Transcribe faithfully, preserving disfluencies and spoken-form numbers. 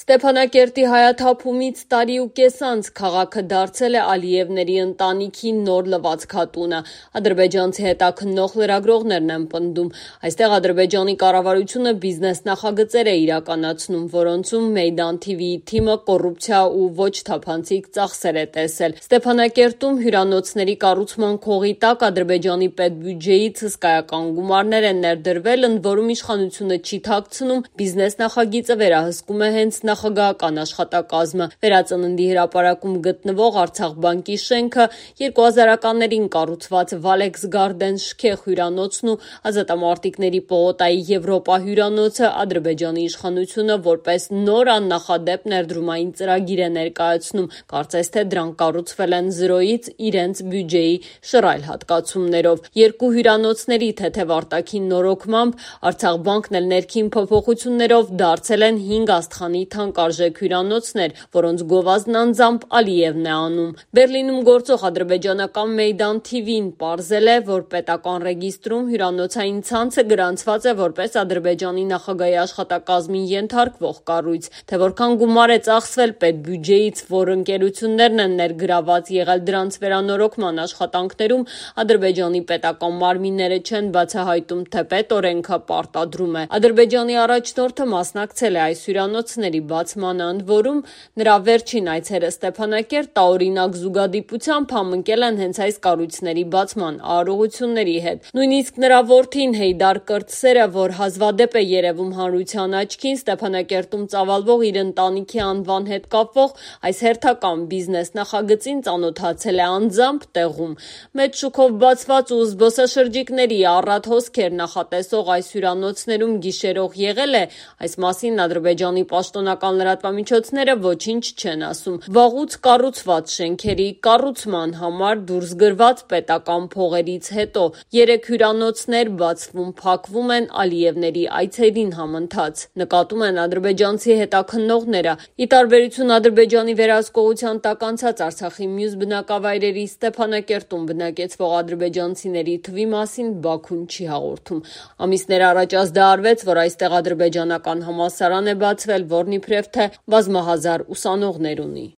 Ստեփանակերտի հայաթափումից տարի ու կես անց քաղաքը դարձել է Ալիևների ընտանիքի նոր լվացքատունը։ Ադրբեջանցի հետաքննող լրագրողներն են պնդում։ Այստեղ Ադրբեջանի կառավարությունը բիզնես նախագծեր է իրականացնում, որոնցում Մեյդան թիվիի թիմը կոռուպցիա ու ոչ թափանցիկ ծախսեր է տեսել։ Ստեփանակերտում հյուրանոցների կառուցման քողի տակ Ադրբեջանի պետբյուջեից հսկայական գումարներ են ներդրվել, ընդ որում իշխանությունը չի թաքցնում, բիզնես նախագիծը վերահսկում է հենց նախագահական աշխատակազմը։ Վերածննդի հրապարակում գտնվող Արցախ բանկի շենքը, երկու հազարականներին կառուցված Վալեքս Գարդեն շքեղ հյուրանոցն ու Ազատամարտիկների պողոտայի Եվրոպա հյուրանոցը Ադրբեջանի իշխանությունը որպես նոր աննախադեպ ներդրումային ծրագիր է ներկայացնում, կարծես թե դրանք կառուցվել են զրոյից իրենց բյուջեի շռայլ հատկացումներով։ Երկու հյուրանոցների թեթև արտաքին նորոգմամբ Արցախ բանկն էլ ներքին փոփոխություններով դարձել են հինգ աստղանի թանկարժեք հյուրանոցներ, որոնց գովազդն անձամբ Ալիևն է անում։ Բերլինում գործող ադրբեջանական Մեյդան թիվին պարզել է, որ պետական ռեգիստրում հյուրանոցային ցանցը գրանցված է որպես Ադրբեջանի նախագահի աշխատակազմին ենթարկվող կառույց, թե որքան գումար է ծախսվել պետբյուջեից, որ ընկերություններն են ներգրաված եղել դրանց վերանորոգման աշխատանքներում, Ադրբեջանի պետական մարմինները չեն բացահայտում, թե պետօրենքը պարտադրում է։ Ադրբեջանի առաջնորդը մասնակցել է այս հյուրանոցների բացմանը, ընդ որում նրա վերջին այցերը Ստեփանակերտ տարօրինակ զուգադիպությամբ համընկել են հենց այս կառույցների բացման արարողությունների հետ։ Նույնիսկ նրա որդին Հեյդար Կրտսերը, որ հազվադեպ է երևում հանրության աչքին, Ստեփանակերտում ծավալվող իր ընտանիքի անվան հետ կապվող այս հերթական բիզնես նախագծին ծանոթացել է անձամբ տեղում։ Մեծ շուկով բացված ու զբոսաշրջիկների առատ հոսքեր նախատեսող այս հյուրանոցներում գիշերող եղել է, այս մասին Ադրբեջանի պաշտոնական լրատվամիջոցները ոչինչ չեն ասում։ Վաղուց կառուցված շենքերի կառուցման համար դուրս գրված պետական փողերից հետո երեք հյուրանոցներ բացվում-փակվում են Ալիևների այցերին համընթաց, նկատում են ադրբեջանցի հետաքննողները։ Ի տարբերություն Ադրբեջանի վերահսկողության տակ անցած Արցախի մյուս բնակավայրերի, Ստեփանակերտում բնակեցվող ադրբեջանցիների թվի մասին Բաքուն չի հաղորդում։ Ամիսներ առաջ ազդարարվեց, որ այստեղ ադրբեջանական համալսարան է բացվել, որն իբրև թե բազմահազար ուսանողներ ունի։